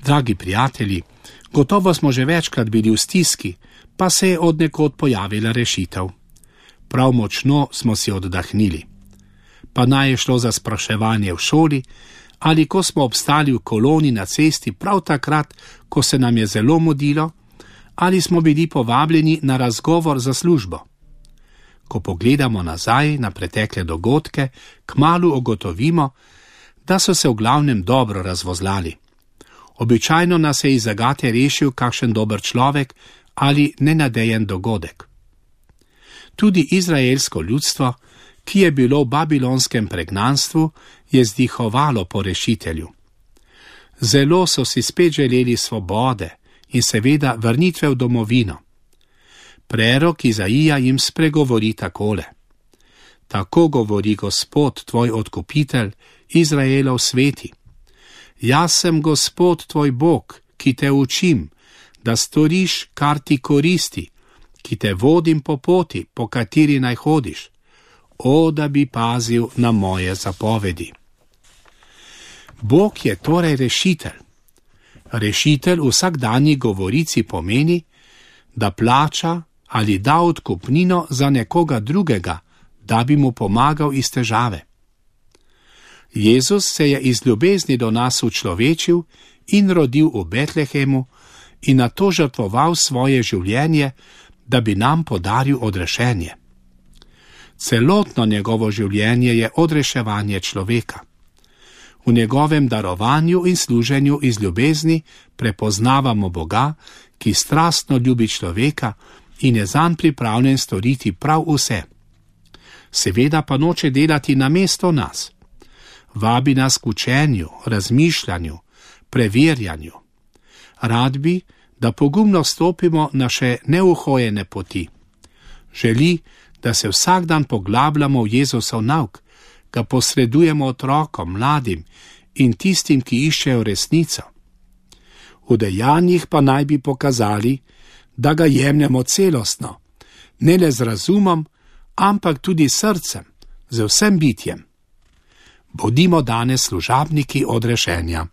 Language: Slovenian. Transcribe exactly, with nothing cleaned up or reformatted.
Dragi prijatelji, gotovo smo že večkrat bili v stiski, pa se je od nekod pojavila rešitev. Prav močno smo si oddahnili. Pa naj je šlo za spraševanje v šoli, ali ko smo obstali v koloni na cesti prav takrat, ko se nam je zelo mudilo, ali smo bili povabljeni na razgovor za službo. Ko pogledamo nazaj na pretekle dogodke, kmalu ugotovimo, da so se v glavnem dobro razvozlali. Običajno nas je iz zagate rešil kakšen dober človek ali nenadejen dogodek. Tudi izraelsko ljudstvo, ki je bilo v babilonskem pregnanstvu, je zdihovalo po rešitelju. Zelo so si spet želeli svobode in seveda vrnitve v domovino. Prerok Izaija jim spregovori takole: Tako govori Gospod, tvoj odkupitelj, Izraelov sveti. Jaz sem Gospod tvoj Bog, ki te učim, da storiš, kar ti koristi, ki te vodim po poti, po kateri naj hodiš. O, da bi pazil na moje zapovedi. Bog je torej rešitelj. Rešitelj v vsakdanji govorici pomeni, da plača ali da odkupnino za nekoga drugega, da bi mu pomagal iz težave. Jezus se je iz ljubezni do nas učlovečil in rodil v Betlehemu in nato žrtvoval svoje življenje, da bi nam podaril odrešenje. Celotno njegovo življenje je odreševanje človeka. V njegovem darovanju in služenju iz ljubezni prepoznavamo Boga, ki strastno ljubi človeka in je zanj pripravljen storiti prav vse. Seveda pa noče delati namesto nas. Vabi nas k učenju, razmišljanju, preverjanju. Rad bi, da pogumno stopimo na še neuhojene poti. Želi, da se vsak dan poglabljamo v Jezusov nauk, ga posredujemo otrokom, mladim in tistim, ki iščejo resnico. V dejanjih pa naj bi pokazali, da ga jemljemo celostno, ne le z razumom, ampak tudi srcem, z vsem bitjem. Bodimo danes služabniki odrešenja.